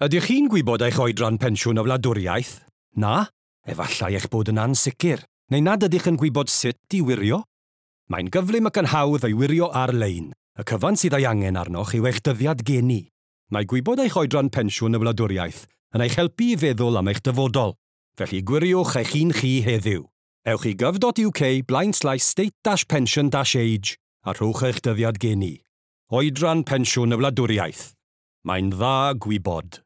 Ydych chi'n gwybod eich oedran pensiwn y wladwriaeth? Na? Efallai eich bod yn ansicr, neu nad ydych yn gwybod sut i wirio? Mae'n gyflym ac yn hawdd ei wirio ar-lein. Y cyfan sydd ei angen arnoch yw eich dyddiad geni. Mae gwybod eich oedran pensiwn y wladwriaeth yn eich helpu i feddwl am eich dyfodol. Felly gwiriwch eich un chi heddiw. Ewch i gov.uk blaenslaes state-pension-age a rhowch eich dyddiad geni. Oedran pensiwn y wladwriaeth. Mae'n dda gwybod.